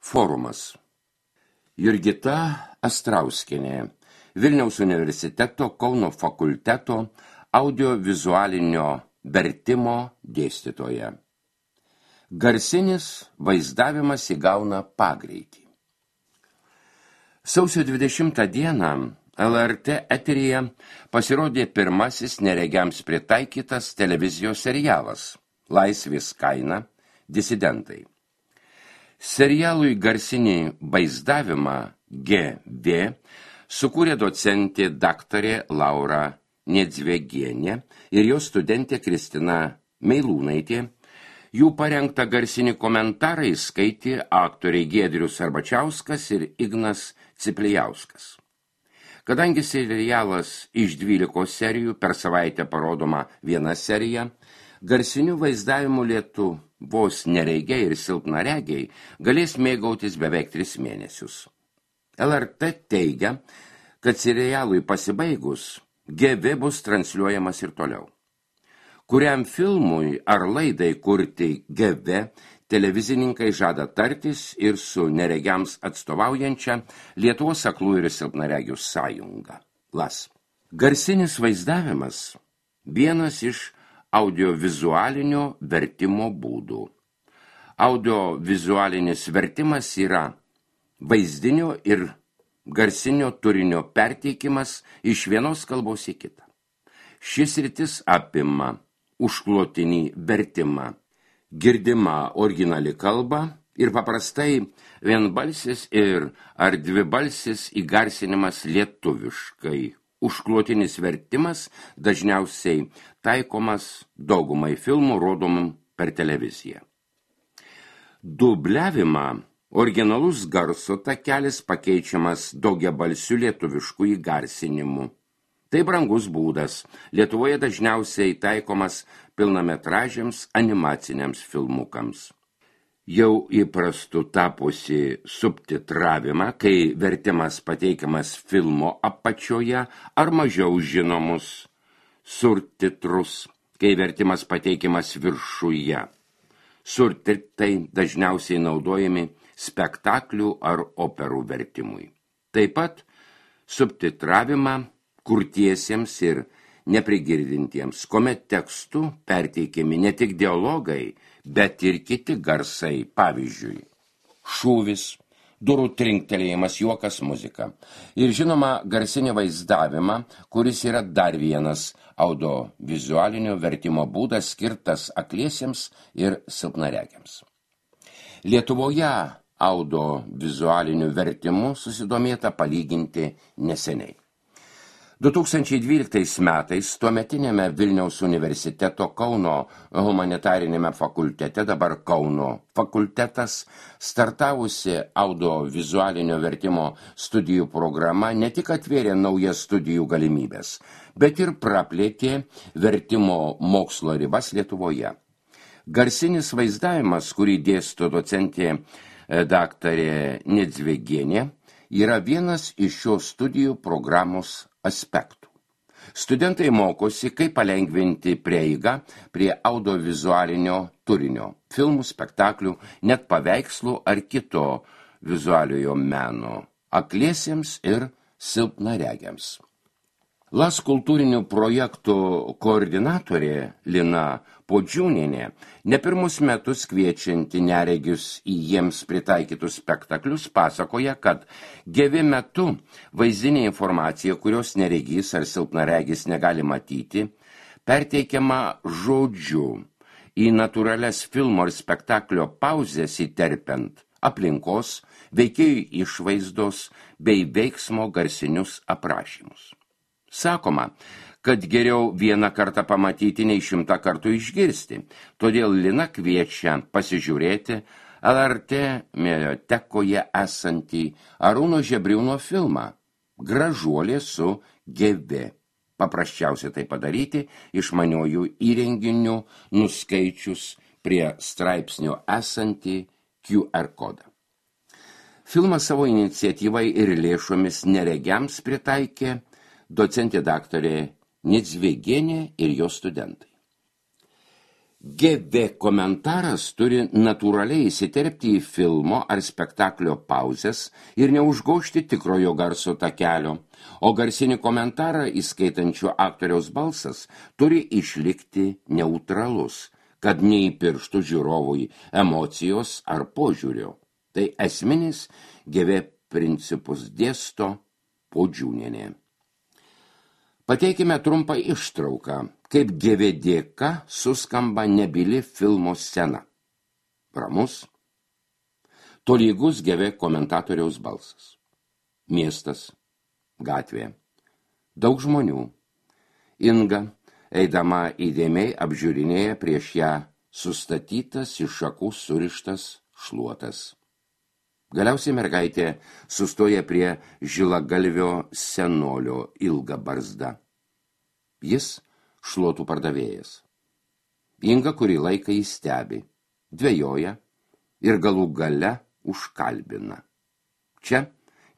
Forumas. Jurgita Astrauskienė, Vilniaus universiteto Kauno fakulteto audiovizualinio vertimo dėstytoja. Garsinis vaizdavimas įgauna pagreitį. Sausio 20 dieną LRT eteryje pasirodė pirmasis neregiams pritaikytas televizijos serialas Laisvės kaina – Disidentai. Serialui garsinį vaizdavimą GV sukūrė docentė daktarė Laura Nedzvegienė ir jos studentė Kristina Meilūnaitė. Jų parengtą garsinį komentarą skaitė aktoriai Giedrius Arbačiauskas ir Ignas Ciplijauskas. Kadangi serialas iš 12 serijų per savaitę parodoma viena serija, garsinių vaizdavimų Lietuvos nereigiai ir silpnaregiai galės mėgautis beveik 3 mėnesius. LRT teigia, kad serialui pasibaigus GV bus transliuojamas ir toliau. Kuriam filmui ar laidai kurti GV, televizininkai žada tartis ir su neregiams atstovaujančia Lietuvos aklų ir silpnaregių sąjunga LAS. Garsinis vaizdavimas vienas iš audiovizualinio vertimo būdų. Audiovizualinis vertimas yra vaizdinio ir garsinio turinio perteikimas iš vienos kalbos į kitą. Šis sritis apima užklotinį vertimą, girdimą originali kalba ir paprastai vienbalsis ir ar dvibalsis įgarsinimas lietuviškai. Užklotinis vertimas dažniausiai taikomas daugumai filmų rodomų per televiziją. Dubliavimą originalus garso takelis pakeičiamas daugiabalsiu lietuvišku įgarsinimu. Tai brangus būdas. Lietuvoje dažniausiai taikomas pilnametražiams animaciniams filmukams. Jau įprastu tapusi subtitravimą, kai vertimas pateikiamas filmo apačioje ar mažiau žinomus surtitrus, kai vertimas pateikiamas viršuje. Surtitrai dažniausiai naudojami spektaklių ar operų vertimui. Taip pat subtitravimą kurtiesiems ir neprigirdintiems, kuomet tekstų perteikiami ne tik dialogai, bet ir kiti garsai, pavyzdžiui, šūvis, durų trinktelėjimas, juokas, muzika. Ir žinoma, garsinį vaizdavimą, kuris yra dar vienas audiovizualinio vertimo būdas skirtas akliesiems ir silpnaregiams. Lietuvoje audiovizualiniu vertimu susidomėta palyginti neseniai. 2012 metais tuometinėme Vilniaus universiteto Kauno humanitarinėme fakultete, dabar Kauno fakultetas, startavusi audiovizualinio vertimo studijų programa ne tik atvėrė naujas studijų galimybės, bet ir praplėtė vertimo mokslo ribas Lietuvoje. Garsinis vaizdavimas, kurį dėsto docentė daktarė Nedzvegienė, yra vienas iš šios studijų programos aspektų. Studentai mokosi, kaip palengvinti prieigą prie audiovizualinio turinio, filmų, spektaklių, net paveikslų ar kito vizualiojo meno, akliesiems ir silpnaregiams. LAS kultūrinių projektų koordinatorė Lina Podžiūnienė ne pirmus metus kviečianti neregius į jiems pritaikytus spektaklius pasakoja, kad GV metu vaizdinė informacija, kurios neregys ar silpnaregis negali matyti, perteikiama žodžiu į natūralias filmo ir spektaklio pauzes įterpiant aplinkos, veikėjų išvaizdos bei veiksmo garsinius aprašymus. Sakoma, kad geriau vieną kartą pamatyti nei 100 kartų išgirsti, todėl Lina kviečia pasižiūrėti LRT mediatekoje esantį Arūno Žebriūno filmą Gražuolė su GV. Paprasčiausia tai padaryti išmaniuoju įrenginiu nuskaičius prie straipsnio esantį QR kodą. Filmą savo iniciatyvai ir lėšomis neregiams pritaikė docentė daktarė Nedzvegienė ir jos studentai. GV komentaras turi natūraliai įsiterpti į filmo ar spektaklio pauzes ir neužgožti tikrojo garso takelio, o garsinį komentarą įskaitančio aktoriaus balsas turi išlikti neutralus, kad neįpirštų žiūrovui emocijos ar požiūrio. Tai esminis GV principus dėsto Puodžiūnienė. Pateikime trumpą ištrauką, kaip GV dėka suskamba nebyli filmo scena. Ramus, tolygus GV komentatoriaus balsas. Miestas, gatvė, daug žmonių. Inga, eidama įdėmiai, apžiūrinėja prieš ją sustatytas iš šakų surištas šluotas. Galiausiai mergaitė sustoja prie žilagalvio senolio ilga barzda. Jis šluotų pardavėjas. Inga kurį laiką jį stebi, dvejoja ir galų gale užkalbina. Čia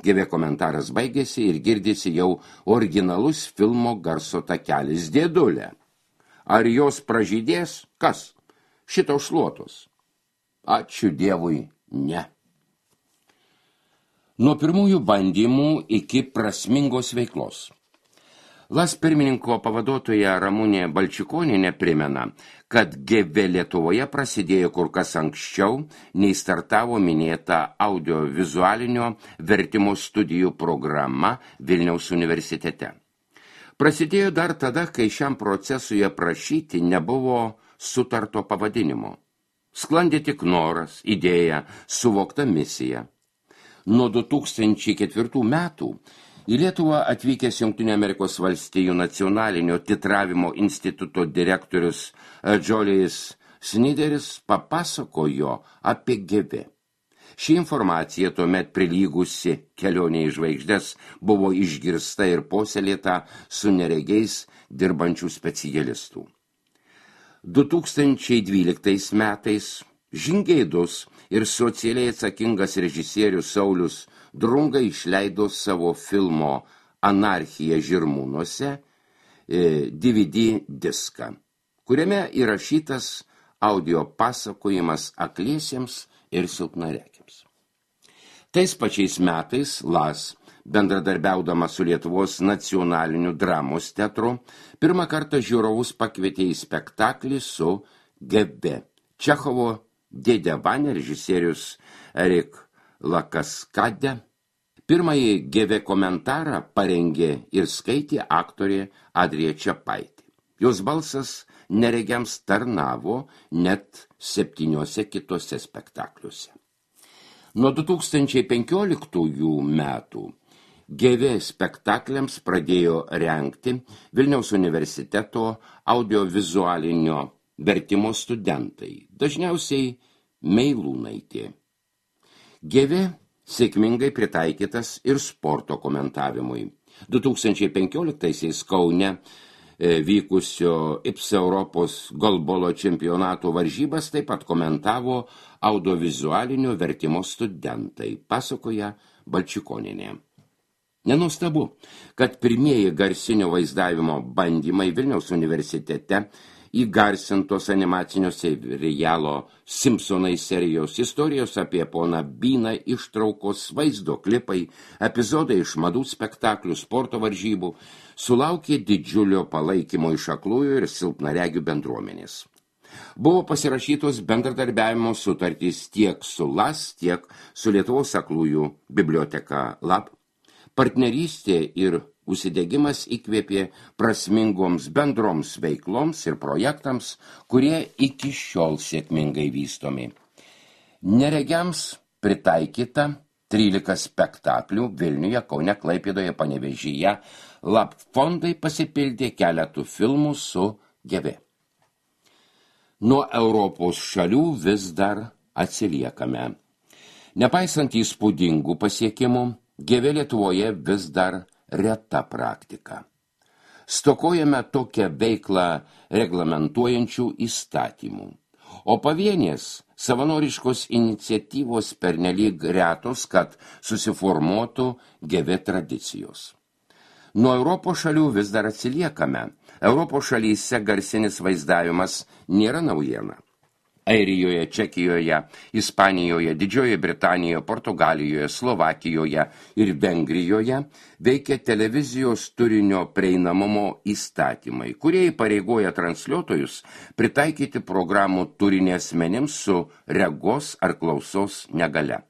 GV komentaras baigėsi ir girdisi jau originalus filmo garso takelis. Dėdulė, ar jos pražydės? Kas? Šitos šluotos? Ačiū Dievui, ne. Nuo pirmųjų bandymų iki prasmingos veiklos. LAS pirmininko pavaduotoja Ramunė Balčikonienė primena, kad GV Lietuvoje prasidėjo kur kas anksčiau, nei startavo minėta audiovizualinio vertimo studijų programa Vilniaus universitete. Prasidėjo dar tada, kai šiam procesui aprašyti nebuvo sutarto pavadinimo. Sklandė tik noras, idėja, suvokta misija. Nuo 2004 metų į Lietuvą atvykęs Jungtinių Amerikos valstijų nacionalinio titravimo instituto direktorius Džolijus Snideris papasakojo apie GV. Ši informacija tuomet prilygusi kelionė į žvaigždes buvo išgirsta ir puoselėta su neregiais dirbančių specialistų. 2012 metais žingeidus ir socialiai atsakingas režisierius Saulius Drunga išleido savo filmo Anarchija Žirmūnuose DVD diską, kuriame įrašytas audio pasakojimas akliesiems ir silpnaregiams. Tais pačiais metais LAS, bendradarbiaudama su Lietuvos nacionaliniu dramos teatru, pirmą kartą žiūrovus pakvietė į spektaklį su GV. Čechovo Dėdė Vania režisierius Erik Lakaskadė. Pirmąjį GV komentarą parengė ir skaitė aktorė Adrija Čepaitė. Jos balsas neregiams tarnavo net 7 kitose spektakliuose. Nuo 2015 metų GV spektakliams pradėjo rengti Vilniaus universiteto audiovizualinio vertimo studentai, dažniausiai Meilūnaitė. GV sėkmingai pritaikytas ir sporto komentavimui. 2015 Kaune vykusio IPSA Europos golbolo čempionato varžybas taip pat komentavo audiovizualinio vertimo studentai, pasakoja Balčikonienė. Nenuostabu, kad pirmieji garsinio vaizdavimo bandymai Vilniaus universitete įgarsintos animacinio serialo Simpsonai serijos istorijos apie poną Byną ištraukos, vaizdo klipai, epizodai iš madų spektaklių, sporto varžybų sulaukė didžiulio palaikymo iš aklųjų ir silpnaregių bendruomenės. Buvo pasirašytos bendradarbiavimo sutartys tiek su LAS, tiek su Lietuvos aklųjų biblioteka LAB. Partnerystė ir užsidegimas įkvėpė prasmingoms bendroms veikloms ir projektams, kurie iki šiol sėkmingai vystomi. Neregiams pritaikyta 13 spektaklių Vilniuje, Kaune, Klaipėdoje, Panevėžyje. LAB fondai pasipildė keletų filmų su GV. Nuo Europos šalių vis dar atsiliekame. Nepaisant įspūdingų pasiekimų, GV Lietuvoje vis dar reta praktika. Stokojame tokią veiklą reglamentuojančių įstatymų, o pavienės savanoriškos iniciatyvos pernelyg retos, kad susiformuotų GV tradicijos. Nuo Europos šalių vis dar atsiliekame. Europos šalyse garsinis vaizdavimas nėra naujiena. Airijoje, Čekijoje, Ispanijoje, Didžiojoje Britanijoje, Portugalijoje, Slovakijoje ir Vengrijoje veikia televizijos turinio prieinamumo įstatymai, kurie įpareigoja transliuotojus pritaikyti programų turinį asmenims su regos ar klausos negalia.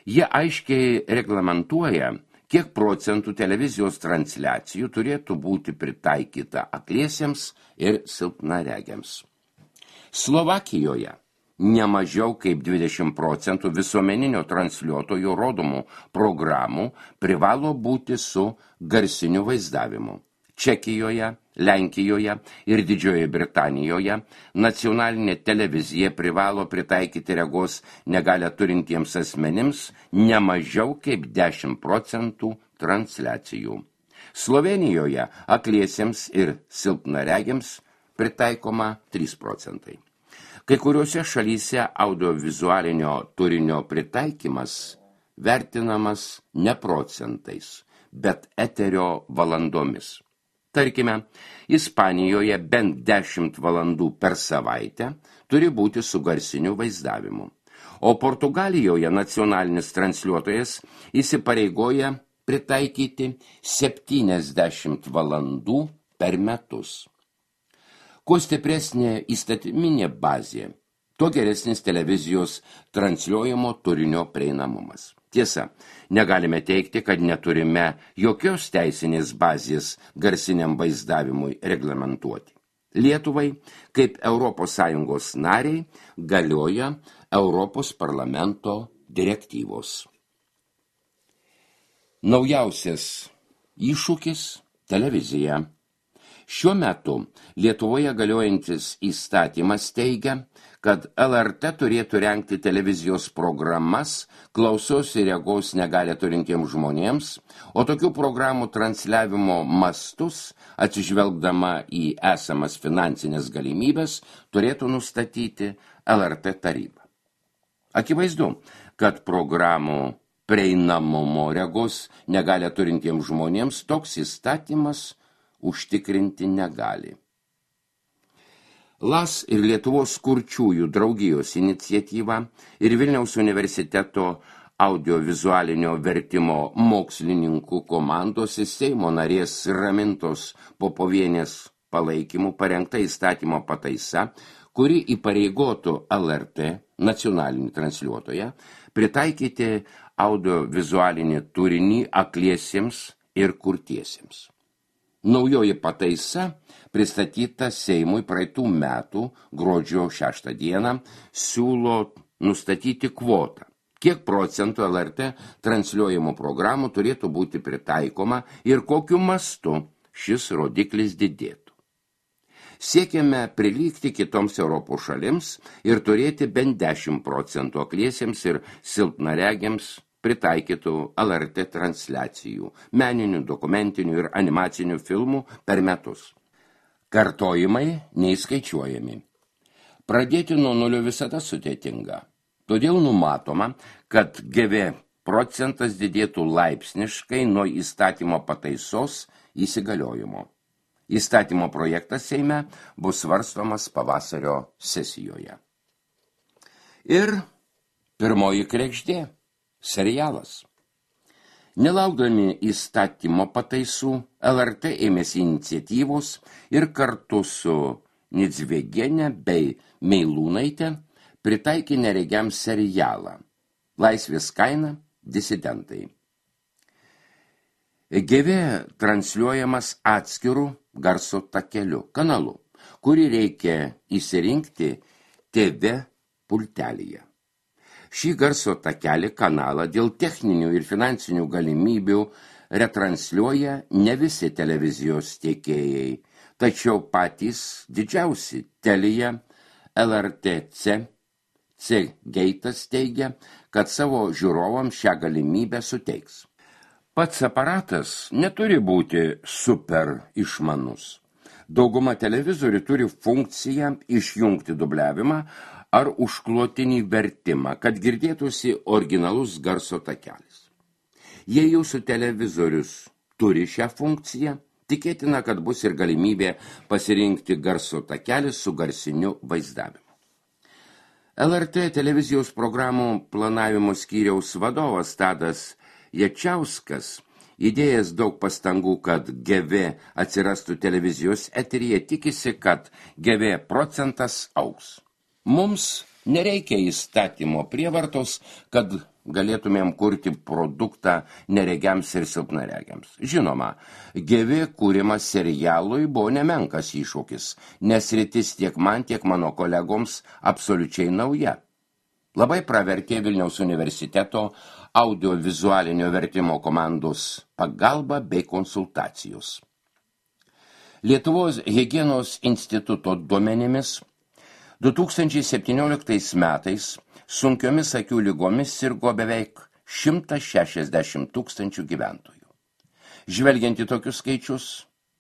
Jie aiškiai reglamentuoja, kiek procentų televizijos transliacijų turėtų būti pritaikyta akliesiems ir silpnaregiams. Slovakijoje nemažiau kaip 20% visuomeninio transliuotojo rodomų programų privalo būti su garsiniu vaizdavimu. Čekijoje, Lenkijoje ir Didžiojoje Britanijoje nacionalinė televizija privalo pritaikyti regos negalią turintiems asmenims nemažiau kaip 10% transliacijų. Slovėnijoje akliesiems ir silpnaregiams pritaikoma 3%. Kai kuriuose šalyse audiovizualinio turinio pritaikymas vertinamas ne procentais, bet eterio valandomis. Tarkime, Ispanijoje bent 10 valandų per savaitę turi būti su garsiniu vaizdavimu, o Portugalijoje nacionalinis transliuotojas įsipareigoja pritaikyti 70 valandų per metus. Kuo stipresnė įstatyminė bazė, tuo geresnis televizijos transliuojamo turinio prieinamumas. Tiesa, negalime teigti, kad neturime jokios teisinės bazės garsiniam vaizdavimui reglamentuoti. Lietuvai, kaip ES nariai, galioja Europos parlamento direktyvos. Naujausias iššūkis – televizija. Šiuo metu Lietuvoje galiojantis įstatymas teigia, kad LRT turėtų rengti televizijos programas klausos ir regos negalią turintiems žmonėms, o tokių programų transliavimo mastus, atsižvelgdama į esamas finansinės galimybės, turėtų nustatyti LRT taryba. Akivaizdu, kad programų prieinamumo regos negalią turintiems žmonėms toks įstatymas užtikrinti negali. LAS ir Lietuvos kurčiųjų draugijos iniciatyva ir Vilniaus universiteto audiovizualinio vertimo mokslininkų komandos ir Seimo narės Ramintos Popovienės palaikymu parengta įstatymo pataisa, kuri įpareigotų LRT nacionalinį transliuotoją pritaikyti audiovizualinį turinį akliesiems ir kurtiesiems. Naujoji pataisa, pristatyta Seimui praeitų metų gruodžio 6 dieną, siūlo nustatyti kvotą, kiek procentų LRT transliuojamų programų turėtų būti pritaikoma ir kokiu mastu šis rodiklis didėtų. Siekiame prilygti kitoms Europos šalims ir turėti bent 10% akliesiems ir silpnaregiams pritaikytų LRT transliacijų, meninių, dokumentinių ir animacinių filmų per metus. Kartojimai neįskaičiuojami. Pradėti nuo nulio visada sudėtinga. Todėl numatoma, kad GV procentas didėtų laipsniškai nuo įstatymo pataisos įsigaliojimo. Įstatymo projektas Seime bus svarstomas pavasario sesijoje. Ir pirmoji kregždė. Serialas. Nelaukdami įstatymo pataisų, LRT ėmėsi iniciatyvos ir kartu su Nidzvegiene bei Meilūnaite pritaikė neregiam serialą Laisvės kaina – disidentai. GV transliuojamas atskirų garso takeliu, kanalu, kurį reikia įsirinkti TV pultelyje. Šį garso takelį kanalą dėl techninių ir finansinių galimybių retransliuoja ne visi televizijos tiekėjai, tačiau patys didžiausi Telia, LRTC, C-Geitas teigia, kad savo žiūrovams šią galimybę suteiks. Pats aparatas neturi būti super išmanus. Dauguma televizorių turi funkciją išjungti dubliavimą ar užklotinį vertimą, kad girdėtųsi originalus garso takelis. Jei jūsų televizorius turi šią funkciją, tikėtina, kad bus ir galimybė pasirinkti garso takelį su garsiniu vaizdavimu. LRT televizijos programų planavimo skyriaus vadovas Tadas Jačiauskas, įdėjęs daug pastangų, kad GV atsirastų televizijos eteryje, tikisi, kad GV procentas augs. Mums nereikia įstatymo prievartos, kad galėtumėm kurti produktą neregiams ir silpnaregiams. Žinoma, GV kūrimas serialui buvo nemenkas iššūkis, nes sritis tiek man, tiek mano kolegoms absoliučiai nauja. Labai pravertė Vilniaus universiteto audiovizualinio vertimo komandos pagalba bei konsultacijos. Lietuvos higienos instituto duomenimis 2017 metais sunkiomis akių ligomis sirgo beveik 160 tūkstančių gyventojų. Žvelgiant į tokius skaičius,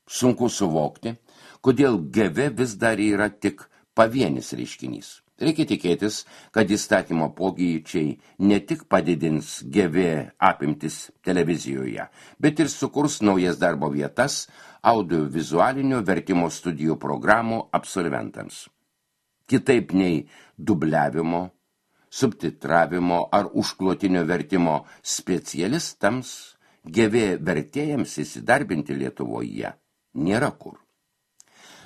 sunku suvokti, kodėl GV vis dar yra tik pavienis reiškinys. Reikia tikėtis, kad įstatymo pokyčiai ne tik padidins GV apimtis televizijoje, bet ir sukurs naujas darbo vietas audiovizualinio vertimo studijų programų absolventams. Kitaip nei dubliavimo, subtitravimo ar užklotinio vertimo specialistams, GV vertėjams įsidarbinti Lietuvoje nėra kur.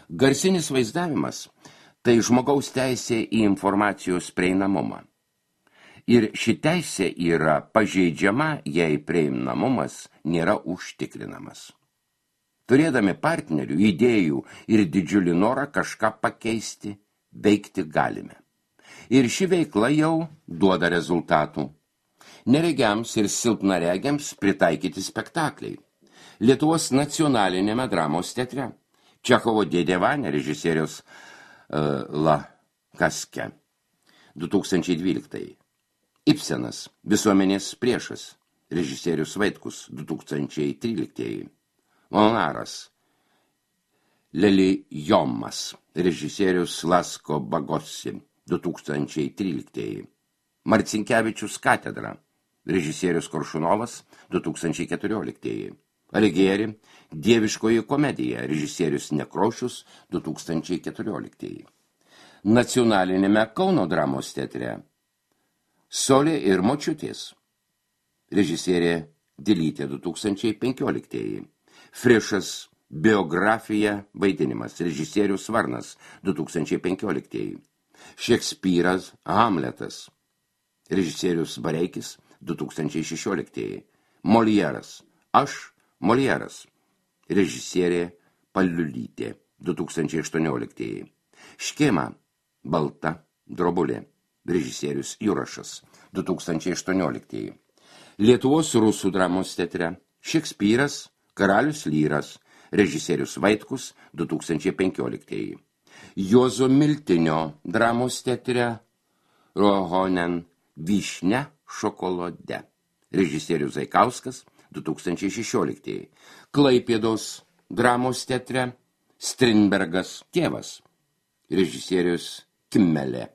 Garsinis vaizdavimas – tai žmogaus teisė į informacijos prieinamumą. Ir ši teisė yra pažeidžiama, jei prieinamumas nėra užtikrinamas. Turėdami partnerių, idėjų ir didžiulį norą kažką pakeisti, veikti galime. Ir ši veikla jau duoda rezultatų. Neregiams ir silpnaregiams pritaikyti spektakliai. Lietuvos nacionalinėme dramos teatre Čechovo Dėdė Vania režisierius La Kaske 2012. Ibsenas Visuomenės priešas režisierius Vaitkus 2013. Monaras Lelijomas režisierius Lasko Bagossi 2013. Marcinkevičius Katedra režisierius Koršunovas 2014. Alighieri Dieviškoji komedija režisierius Nekrošius 2014. Nacionalinėme Kauno dramos teatre Solė ir močiutės režisierė Dilytė 2015. Frišas biografija vaidinimas režisierius Varnas 2015. Šekspyras Hamletas režisierius Bareikis 2016. Molieras Aš Molieras režisierė Paliulytė 2018. Škėma Balta drobulė režisierius Jurašas 2018. Lietuvos rusų dramos teatre Šekspyras Karalius Lyras režisierius Vaitkus 2015. Juozo Miltinio dramos teatre Rohonen Vyšnia šokolade režisierius Zaikauskas 2016. Klaipėdos dramos teatre Strindbergas tėvas režisierius Kimmelė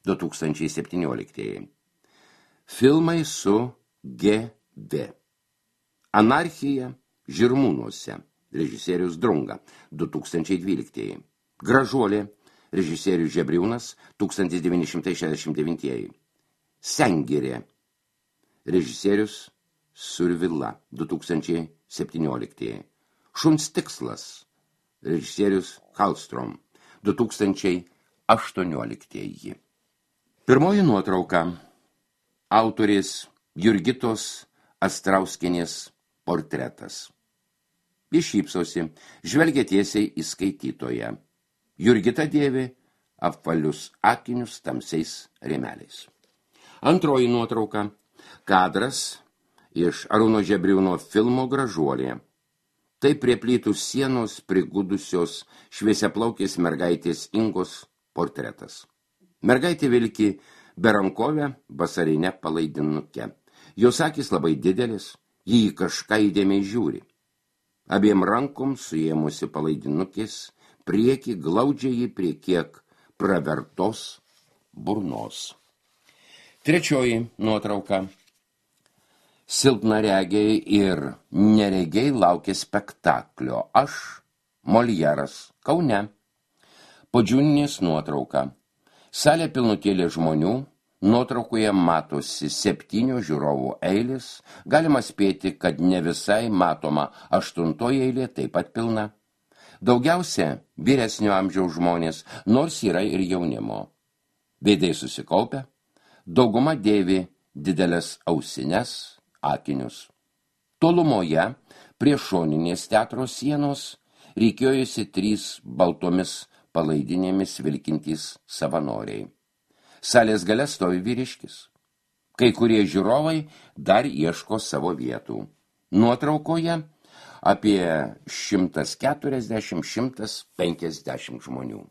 2017. Filmai su GV. Anarchija Žirmūnuose režisierius Drunga 2012. Gražuolė režisierius Žebriūnas 1969. Sengirė režisierius Survila 2017. Šuns tikslas režisierius Hallstrom 2018. Pirmoji nuotrauka autorės Jurgitos Astrauskienės portretas. Jis šypsosi, žvelgia tiesiai į skaitytoją. Jurgita dėvi apvalius akinius tamsiais rėmeliais. Antroji nuotrauka kadras iš Arūno Žebriūno filmo Gražuolė. Tai prie plytų sienos prigudusios šviesiaplaukės mergaitės Ingos portretas. Mergaitė vilki berankovę vasarinę palaidinukę. Jos akys labai didelis, jį kažką įdėmiai žiūri. Abiem rankom suėmusi palaidinukės, prieki glaudžia jį prie kiek pravertos burnos. Trečioji nuotrauka. Silpnaregiai ir neregiai laukia spektaklio. Aš, Moljeras, Kaune. Podžiūninės nuotrauka. Salė pilnutėlė žmonių, nuotraukoje matosi 7 žiūrovų eilės, galima spėti, kad ne visai matoma 8 eilė taip pat pilna. Daugiausia vyresnio amžiaus žmonės, nors yra ir jaunimo. Veidai susikaupę, dauguma dėvi didelės ausines, akinius. Tolumoje, prie šoninės teatro sienos, rykiojosi 3 baltomis palaidinėmis vilkintys savanoriai. Salės gale stovi vyriškis. Kai kurie žiūrovai dar ieško savo vietų. Nuotraukoje apie 140–150 žmonių.